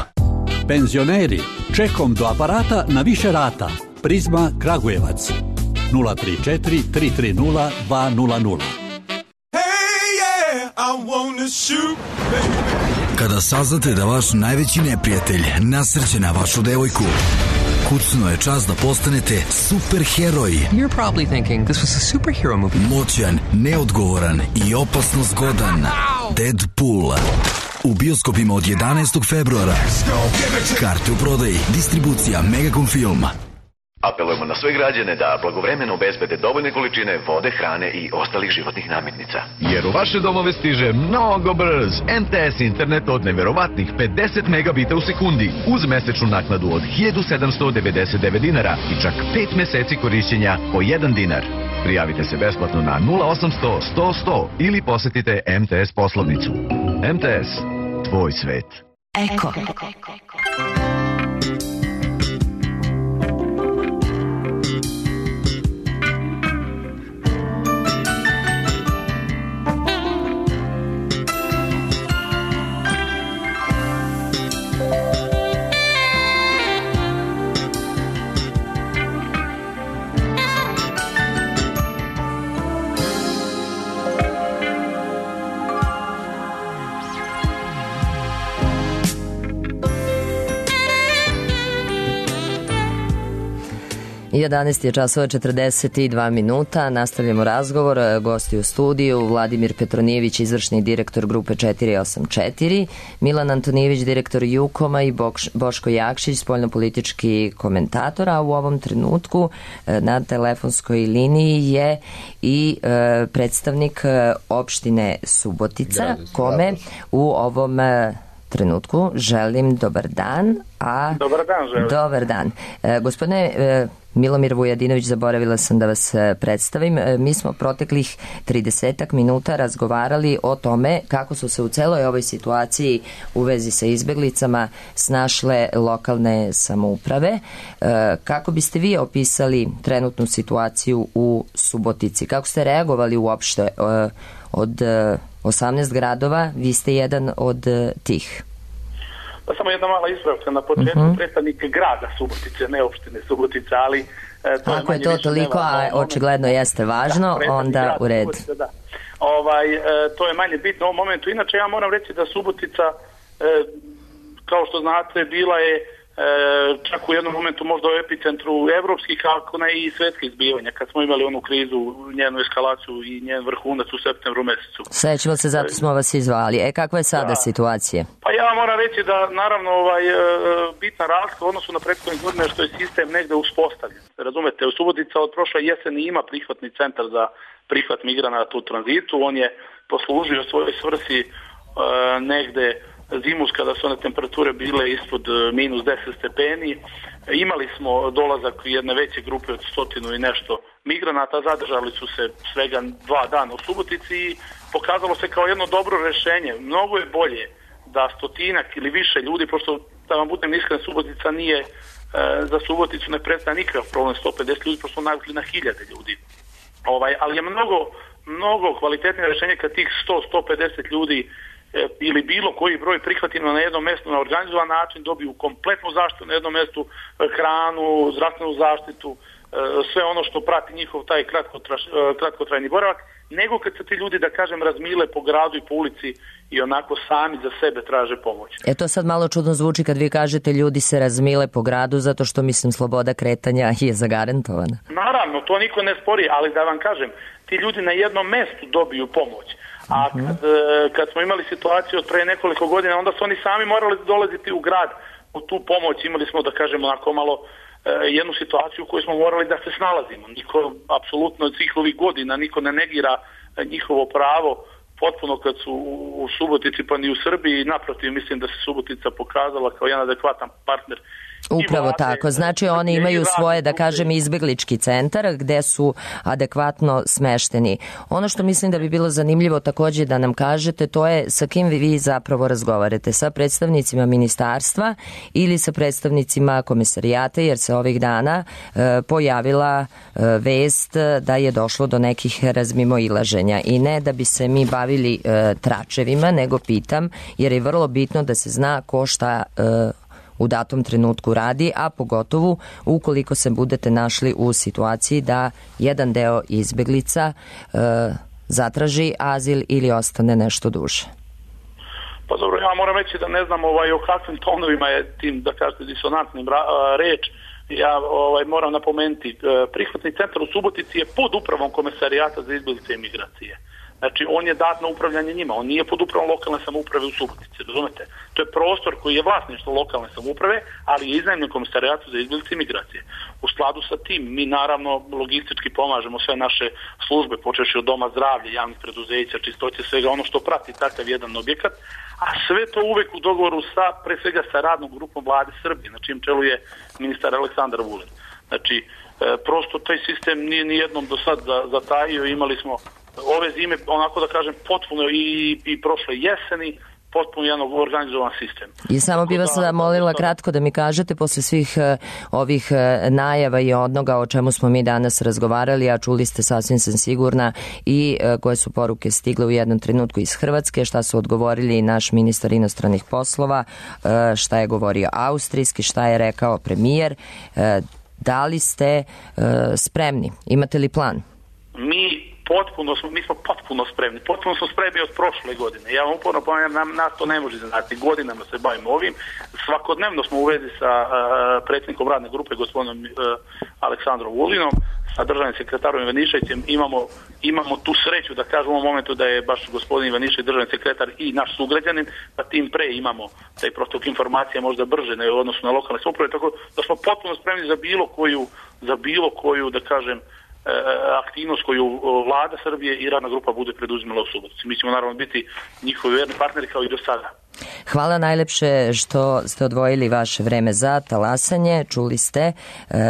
Penzioneri, čekom do aparata na više rata. Prizma Kragujevac. nula tri četiri tri tri nula dva nula nula. Kada saznate da vaš najveći neprijatelj nasrće na vašu devojku, kucno je čas da postanete superheroj. You're probably thinking this was a superhero movie. Moćan, neodgovoran i opasno zgodan. Deadpool. U bioskopima od jedanaestog februara. Karte u prodaji. Distribucija Megacom Film. Apelujemo na sve građane da blagovremeno obezbede dovoljne količine vode, hrane i ostalih životnih namirnica. Jer u vaše domove stiže mnogo brz M T S internet od neverovatnih pedeset megabita u sekundi uz mesečnu naknadu od hiljadu sedamsto devedeset devet dinara i čak pet meseci korišćenja po jedan dinar. Prijavite se besplatno na nula osamsto sto sto ili posetite M T S poslovnicu. M T S, tvoj svet. Eko. jedanaest je časova četrdeset dva minuta, nastavljamo razgovor, gosti u studiju, Vladimir Petronijević, izvršni direktor grupe četiri osam četiri, Milan Antonijević, direktor Jukoma i Boško Jakšić, spoljnopolitički komentator, a u ovom trenutku na telefonskoj liniji je i predstavnik opštine Subotica, kome u ovom trenutku želim dobar dan. A, dobar dan, želim. Dobar dan. E, gospodine e, Milomir Vujadinović, zaboravila sam da vas predstavim. E, mi smo proteklih tridesetak minuta razgovarali o tome kako su se u celoj ovoj situaciji u vezi sa izbeglicama snašle lokalne samouprave. E, kako biste vi opisali trenutnu situaciju u Subotici? Kako ste reagovali uopšte e, od e, osamnaest gradova? Vi ste jedan od e, tih. Pa samo jedna mala ispravka na početku, uh-huh. predstavnik grada Subotice, ne opštine Subotice, ali... E, to Ako je, je to toliko, a očigledno jeste važno, da, onda u redu. Subotice, da. Ovaj, e, to je manje bitno u ovom momentu. Inače, ja moram reći da Subotica, e, kao što znate, bila je e, čak u jednom momentu možda u epicentru evropskih, ako ne i svetskih zbivanja, kad smo imali onu krizu, njenu eskalaciju i njen vrhunac u septembru mesecu. Sećamo se, zato smo vas izvali. E, kakva je sada da. situacija? Pa ja moram reći da, naravno, ovaj, bitna razlika u odnosu na prethodne godine što je sistem negde uspostavljen. Razumete, u Subotica od prošle jeseni ima prihvatni centar za prihvat migranata u tranzitu. On je poslužio svojoj svrsi e, negde zimus kada su one temperature bile ispod minus deset stepeni. Imali smo dolazak jedne veće grupe od stotinu i nešto migranata, zadržali su se svega dva dana u Subotici i pokazalo se kao jedno dobro rešenje. Mnogo je bolje da stotinak ili više ljudi, pošto da vam budem iskren, Subotica nije, e, za Suboticu ne predstavlja nikakav problem, sto pedeset ljudi, pošto navikli na hiljade ljudi. Ovaj, ali je mnogo, mnogo kvalitetnije rešenje kad tih sto do sto pedeset ljudi ili bilo koji broj prihvatimo na jednom mjestu na organizovan način, dobiju kompletnu zaštitu na jednom mjestu, hranu, zdravstvenu zaštitu, sve ono što prati njihov taj kratkotrajni boravak, nego kad se ti ljudi, da kažem, razmile po gradu i po ulici i onako sami za sebe traže pomoć. E to sad malo čudno zvuči kad vi kažete ljudi se razmile po gradu, zato što mislim sloboda kretanja je zagarantovana. Naravno, to niko ne spori, ali da vam kažem, ti ljudi na jednom mjestu dobiju pomoć. A kad, kad smo imali situaciju od pre nekoliko godina, onda su oni sami morali dolaziti u grad u tu pomoć. Imali smo, da kažem, onako malo jednu situaciju u kojoj smo morali da se snalazimo. Niko, apsolutno od svih ovih godina, niko ne negira njihovo pravo potpuno kad su u Subotici pa ni u Srbiji. Naprotiv, mislim da se Subotica pokazala kao jedan adekvatan partner. Upravo tako, znači oni imaju svoje, da kažem, izbeglički centar gde su adekvatno smešteni. Ono što mislim da bi bilo zanimljivo također da nam kažete, to je sa kim vi zapravo razgovarate, sa predstavnicima ministarstva ili sa predstavnicima komisarijata, jer se ovih dana e, pojavila e, vest da je došlo do nekih razmimoilaženja i ne da bi se mi bavili e, tračevima, nego pitam, jer je vrlo bitno da se zna ko šta e, u datom trenutku radi, a pogotovo ukoliko se budete našli u situaciji da jedan deo izbeglica e, zatraži azil ili ostane nešto duže. Pa dobro, ja moram reći da ne znam ovaj, o kakvim tonovima je tim, da kažete, disonantnim ra, reč. Ja ovaj, moram napomenuti, prihvatni centar u Subotici je pod upravom Komesarijata za izbeglice i migracije. Znači, on je dat na upravljanje njima, on nije pod upravom lokalne samouprave u Subotici, razumete? To je prostor koji je vlasništvo lokalne samouprave, ali je iznajmljen Komisarijatu za izbeglice i migracije. U skladu sa tim, mi naravno logistički pomažemo sve naše službe, počevši od doma zdravlja, javnih preduzeća, čistoće, svega ono što prati takav jedan objekat, a sve to uvek u dogovoru sa, pre svega sa radnom grupom Vlade Srbije, na čijem čelu je ministar Aleksandar Vulin. Znači, e, prosto taj sistem nije ni jednom do sad zatajio, imali smo ove zime, onako da kažem, potpuno i, i prošle jeseni, potpuno jedan organizovan sistem. I samo bi vas da, molila kratko da mi kažete, posle svih uh, ovih uh, najava i onoga o čemu smo mi danas razgovarali, a čuli ste, sasvim sam sigurna, i uh, koje su poruke stigle u jednom trenutku iz Hrvatske, šta su odgovorili naš ministar inostranih poslova, uh, šta je govorio austrijski, šta je rekao premijer. Uh, da li ste uh, spremni? Imate li plan? Mi potpuno smo, mi smo potpuno spremni. Potpuno smo spremni od prošle godine. Ja vam uporno ponavljam, nam, nas to ne može znati. Godinama se bavimo ovim. Svakodnevno smo u vezi sa uh, predsjednikom radne grupe, gospodinom uh, Aleksandrom Vulinom, sa državnim sekretarom Ivaniševićem. Imamo, imamo tu sreću da kažem u ovom momentu da je baš gospodin Ivanišević državni sekretar i naš sugrađanin, da tim pre imamo taj protok informacija možda brže ne u odnosu na lokalne samouprave, tako da smo potpuno spremni za bilo koju, za bilo koju, da kažem, aktivnost koju vlada Srbije i radna grupa bude preduzimala u Subotici. Mi ćemo naravno biti njihovi verni partneri kao i do sada. Hvala najlepše što ste odvojili vaše vreme za talasanje. Čuli ste e,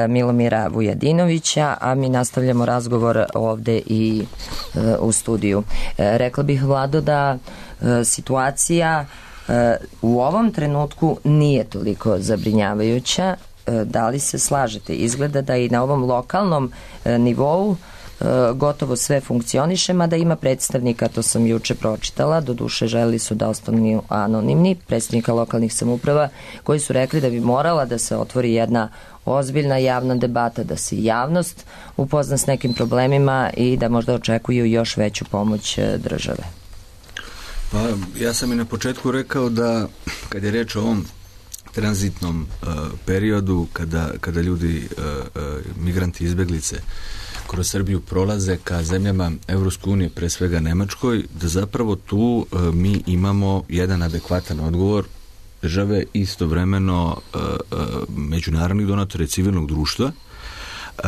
Milomira Vujadinovića, a mi nastavljamo razgovor ovde i e, u studiju. E, rekla bih, Vlado, da e, situacija e, u ovom trenutku nije toliko zabrinjavajuća. Da li se slažete? Izgleda da i na ovom lokalnom e, nivou e, gotovo sve funkcioniše, mada ima predstavnika, to sam juče pročitala, doduše želi su da ostanu anonimni, predstavnika lokalnih samouprava, koji su rekli da bi morala da se otvori jedna ozbiljna javna debata, da se javnost upozna s nekim problemima i da možda očekuju još veću pomoć države. Pa ja sam i na početku rekao da kad je reč o ovom tranzitnom uh, periodu kada, kada ljudi, uh, uh, migranti izbeglice kroz Srbiju prolaze ka zemljama Evropske unije, pre svega Nemačkoj, da zapravo tu uh, mi imamo jedan adekvatan odgovor države, istovremeno uh, uh, međunarodnih donatora i civilnog društva. Uh,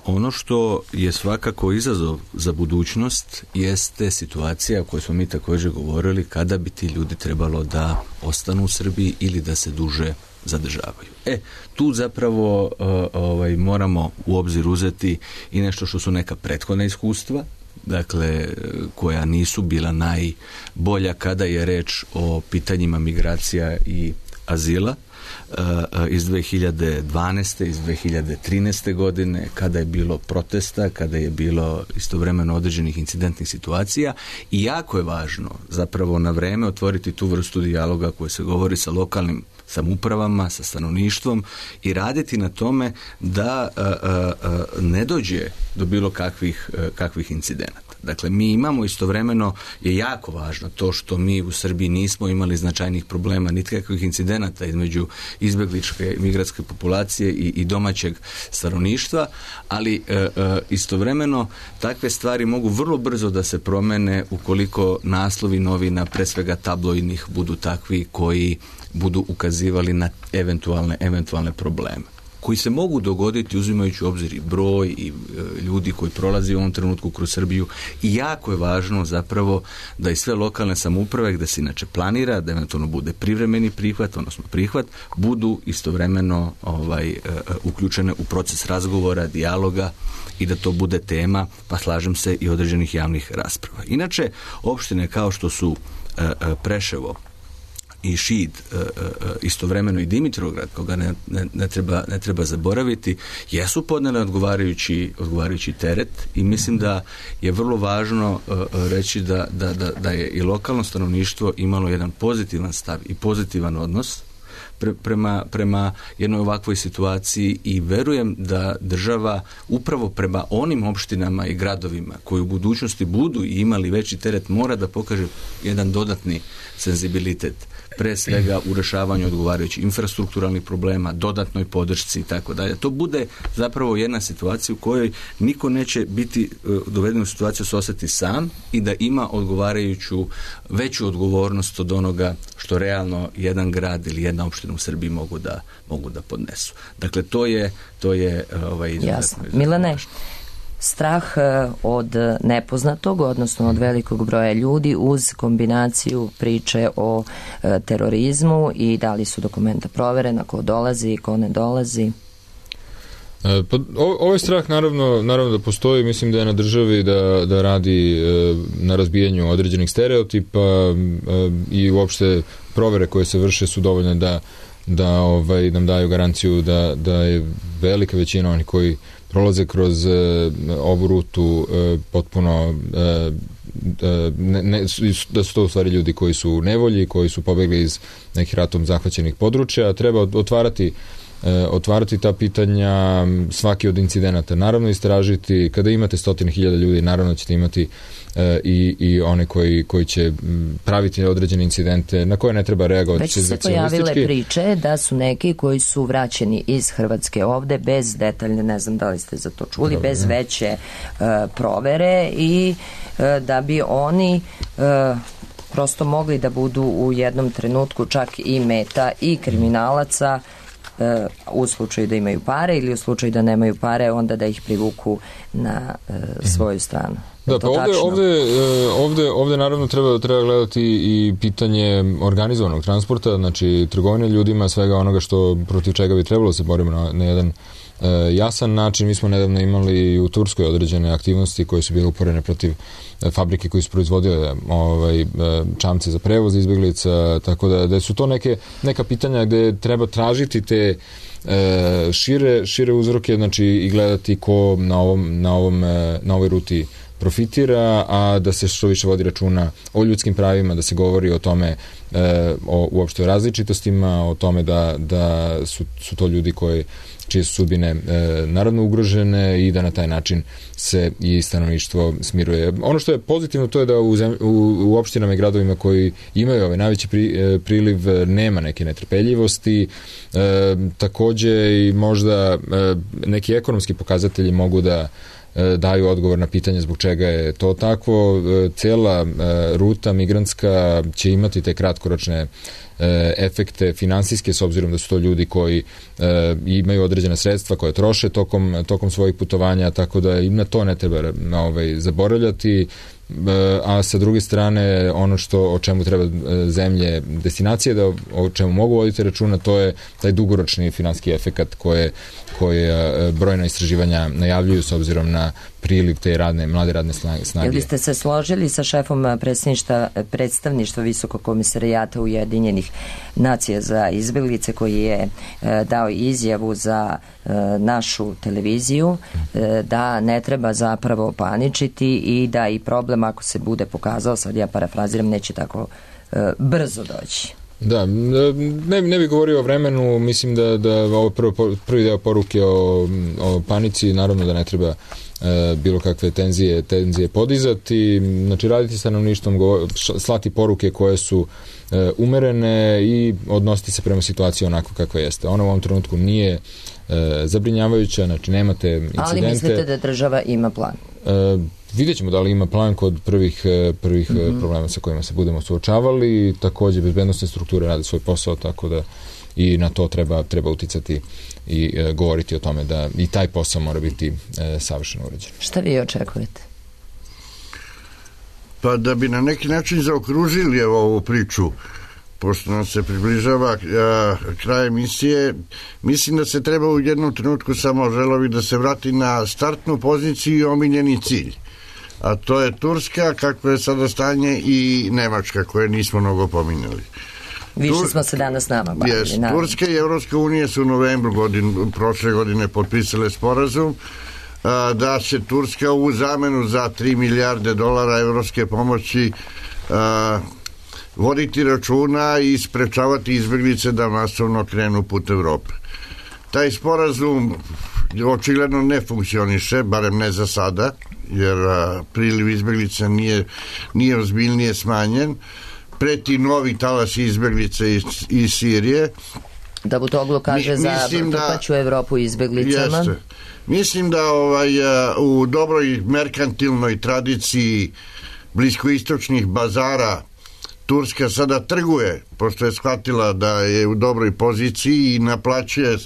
ono što je svakako izazov za budućnost jeste situacija o kojoj smo mi također govorili, kada bi ti ljudi trebalo da ostanu u Srbiji ili da se duže zadržavaju. E, tu zapravo uh, ovaj, moramo u obzir uzeti i nešto što su neka prethodna iskustva, dakle, koja nisu bila najbolja kada je reč o pitanjima migracija i azila. iz dve hiljade dvanaeste, iz dve hiljade trinaeste godine, kada je bilo protesta, kada je bilo istovremeno određenih incidentnih situacija i jako je važno zapravo na vreme otvoriti tu vrstu dijaloga koji se govori sa lokalnim samoupravama, sa stanovništvom i raditi na tome da a, a, a, ne dođe do bilo kakvih, a, kakvih incidenata. Dakle, mi imamo istovremeno, je jako važno to što mi u Srbiji nismo imali značajnih problema, niti kakvih incidenata između izbjegličke migratske populacije i, i domaćeg stanovništva, ali e, e, istovremeno takve stvari mogu vrlo brzo da se promene ukoliko naslovi novina, pre svega tabloidnih, budu takvi koji budu ukazivali na eventualne, eventualne probleme koji se mogu dogoditi uzimajući u obzir i broj i e, ljudi koji prolazi u ovom trenutku kroz Srbiju i jako je važno zapravo da i sve lokalne samouprave gde se inače planira da eventualno bude privremeni prihvat, odnosno prihvat, budu istovremeno ovaj, e, uključene u proces razgovora, dijaloga i da to bude tema, pa slažem se, i određenih javnih rasprava. Inače, opštine kao što su e, e, Preševo i Šid, istovremeno i Dimitrovgrad, koga ne, ne, ne, treba, ne treba zaboraviti, jesu podnele odgovarajući, odgovarajući teret i mislim da je vrlo važno reći da, da, da, da je i lokalno stanovništvo imalo jedan pozitivan stav i pozitivan odnos pre, prema, prema jednoj ovakvoj situaciji i verujem da država upravo prema onim opštinama i gradovima koji u budućnosti budu i imali veći teret mora da pokaže jedan dodatni senzibilitet, pre svega u rešavanju odgovarajućih infrastrukturalnih problema, dodatnoj podršci i tako dalje. To bude zapravo jedna situacija u kojoj niko neće biti doveden u situaciju se osjeti sam i da ima odgovarajuću veću odgovornost od onoga što realno jedan grad ili jedna opština u Srbiji mogu da, mogu da podnesu. Dakle, to je, to je ovaj, jasno. Milane, strah od nepoznatog, odnosno od velikog broja ljudi uz kombinaciju priče o e, terorizmu i da li su dokumenta proverena, ko dolazi, ko ne dolazi? E, pa, o, ovaj strah naravno, naravno da postoji, mislim da je na državi da, da radi e, na razbijanju određenih stereotipa e, i uopšte provere koje se vrše su dovoljne da, da ovaj, nam daju garanciju da, da je velika većina onih koji prolaze kroz uh, ovu rutu uh, potpuno uh, ne, ne, da su to u stvari ljudi koji su u nevolji, koji su pobegli iz nekih ratom zahvaćenih područja. Treba otvarati uh, otvarati ta pitanja svaki od incidenata. Naravno istražiti, kada imate stotine hiljada ljudi, naravno ćete imati uh, i, i one koji, koji će praviti određene incidente na koje ne treba reagovati. Već su se pojavile priče da su neki koji su vraćeni iz Hrvatske ovde bez detaljne, ne znam da li ste za to čuli, Dobre, bez veće uh, provere i uh, da bi oni uh, prosto mogli da budu u jednom trenutku čak i meta i kriminalaca u slučaju da imaju pare ili u slučaju da nemaju pare, onda da ih privuku na uh, svoju stranu. Da, pa ovde, ovde, ovde, ovde naravno treba, treba gledati i pitanje organizovanog transporta, znači trgovine ljudima, svega onoga što protiv čega bi trebalo se borimo na, na jedan uh, jasan način. Mi smo nedavno imali u Turskoj određene aktivnosti koje su bile uporene protiv uh, fabrike koje su proizvodile ovaj, uh, čamce za prevoz izbjeglica, tako da, da su to neke, neka pitanja gde treba tražiti te uh, šire, šire uzroke, znači i gledati ko na, ovom, na, ovom, uh, na ovoj ruti profitira, a da se što više vodi računa o ljudskim pravima, da se govori o tome, e, o, uopšte o različitostima, o tome da, da su, su to ljudi koji, čije su sudbine e, naravno ugrožene i da na taj način se i stanovništvo smiruje. Ono što je pozitivno to je da u, zem, u, u opštinama i gradovima koji imaju ovaj najveći pri, e, priliv nema neke netrpeljivosti, e, takođe i možda e, neki ekonomski pokazatelji mogu da daju odgovor na pitanje zbog čega je to tako. Cela ruta migrantska će imati te kratkoročne efekte finansijske, s obzirom da su to ljudi koji imaju određena sredstva koje troše tokom, tokom svojih putovanja, tako da im na to ne treba ovaj, zaboravljati. A sa druge strane, ono što o čemu treba zemlje destinacije da o čemu mogu voditi računa, to je taj dugoročni finansijski efekat koje, koje brojna istraživanja najavljuju s obzirom na priliv te radne, mlade radne snage. Jel biste se složili sa šefom predstavništva, predstavništva Visokog komisarijata Ujedinjenih Nacija za izbjeglice, koji je e, dao izjavu za e, našu televiziju e, da ne treba zapravo paničiti i da i problem, ako se bude pokazao, sad ja parafraziram, neće tako e, brzo doći. Da, ne, ne bih govorio o vremenu, mislim da, da ovo prvo, prvi deo poruke o, o panici, naravno da ne treba e, bilo kakve tenzije, tenzije podizati, znači raditi stanovništvom, slati poruke koje su e, umerene i odnositi se prema situaciji onako kakva jeste. Ona u ovom trenutku nije e, zabrinjavajuća, znači nemate incidente. Ali mislite da država ima plan? E, Vidjet ćemo da li ima plan kod prvih, prvih mm-hmm. problema sa kojima se budemo suočavali. Također bezbednostne strukture rade svoj posao, tako da i na to treba, treba uticati i e, govoriti o tome da i taj posao mora biti e, savršeno uređen. Šta vi očekujete? Pa da bi na neki način zaokružili ovu priču, pošto nam se približava a, kraj emisije, mislim da se treba u jednom trenutku samo želovi da se vrati na startnu poziciju i omiljeni cilj. A to je Turska, kako je sada stanje, i Nemačka, koje nismo mnogo pominjali. Više Tur... smo se danas nama bavili. Yes. Turska i Evropska unija su u novembru godin, prošle godine potpisale sporazum a, da će Turska u zamenu za tri milijarde dolara evropske pomoći a, voditi računa i sprečavati izbjeglice da masovno krenu put Evrope. Taj sporazum očigledno ne funkcioniše, barem ne za sada, jer a, priliv izbjeglica nije, nije ozbiljnije smanjen. Preti novi talas izbjeglica iz, iz Sirije. Da Butoglu kaže Mi, za trpaću Evropu izbjeglicama. Jeste. Mislim da ovaj, a, u dobroj merkantilnoj tradiciji bliskoistočnih bazara Turska sada trguje, pošto je shvatila da je u dobroj poziciji i naplaćuje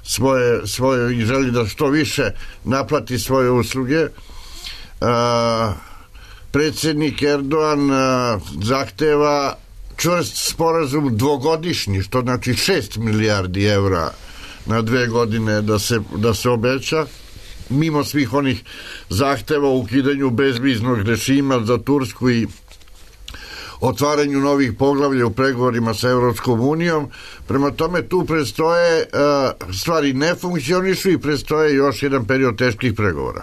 svoje, svoje i želi da što više naplati svoje usluge. A, predsjednik Erdogan a, zahteva čvrst sporazum dvogodišnji, što znači šest milijardi evra na dve godine da se, da se obeća, mimo svih onih zahteva o ukidanju bezviznog režima za Tursku i otvaranju novih poglavlja u pregovorima sa Evropskom unijom. Prema tome tu predstoje uh, stvari ne funkcionišu i predstoje još jedan period teških pregovora.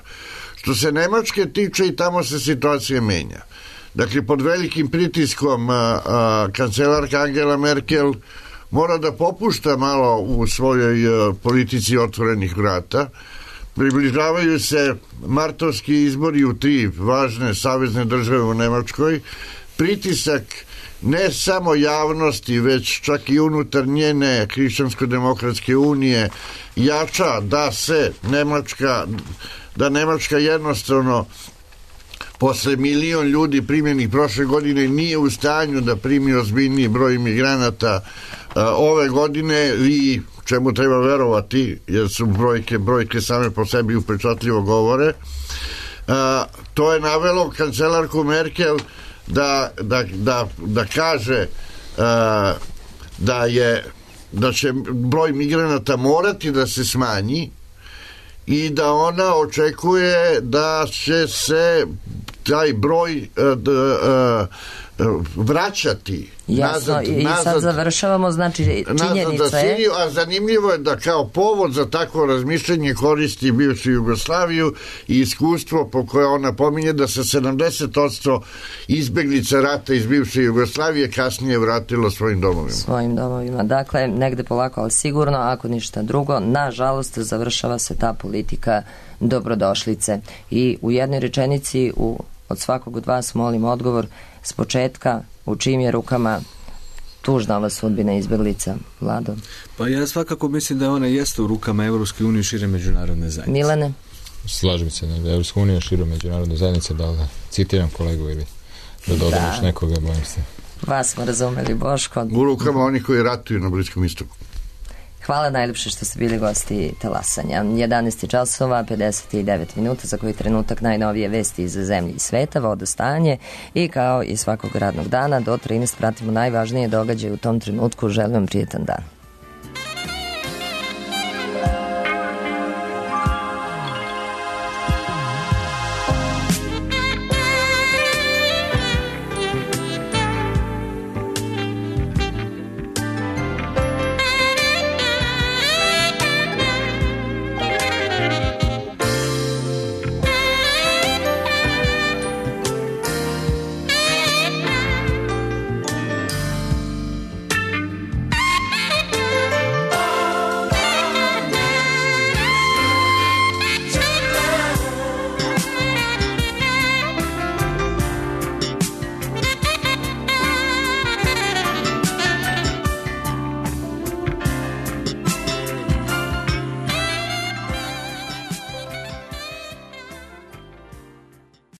Što se Nemačke tiče, i tamo se situacija menja. Dakle, pod velikim pritiskom uh, uh, kancelarka Angela Merkel mora da popušta malo u svojoj uh, politici otvorenih vrata. Približavaju se martovski izbori u tri važne savezne države u Nemačkoj. Pritisak ne samo javnosti, već čak i unutar njene Hrišćansko-demokratske unije jača da se Nemačka, da Nemačka jednostavno posle milion ljudi primjenih prošle godine nije u stanju da primi ozbiljniji broj imigranata a, ove godine, i čemu treba verovati, jer su brojke, brojke same po sebi upečatljivo govore. A, to je navelo kancelarku Merkel da, da, da, da kaže a, da je da će broj migranata morati da se smanji i da ona očekuje da će se taj broj a, a, vraćati Jasno, nazad, i nazad, sad završavamo, znači činjenica je... Siriju, a zanimljivo je da kao povod za takvo razmišljanje koristi bivšu Jugoslaviju i iskustvo po koje ona pominje da se sedamdeset posto izbjeglica rata iz bivše Jugoslavije kasnije vratilo svojim domovima. Svojim domovima. Dakle, negde polako, ali sigurno, ako ništa drugo, nažalost, završava se ta politika dobrodošlice. I u jednoj rečenici u, od svakog od vas molim odgovor s početka, u čijim je rukama tužna ova sudbina izbjeglica, Vlado? Pa ja svakako mislim da ona jeste u rukama Evropske unije i šire međunarodne zajednice. Milane? Slažem se da Evropska unija šire međunarodne zajednice, da, da citiram kolegu ili da dodam još nekoga, bojim se. Vas smo razumeli, Boško. U rukama oni koji ratuju na Bliskom istoku. Hvala najljepše što ste bili gosti Talasanja. jedanaest časova, pedeset devet minuta, za koji trenutak najnovije vesti iz zemlje i sveta, vodostanje, i kao i svakog radnog dana do trinaest pratimo najvažnije događaje u tom trenutku. Želim vam prijetan dan.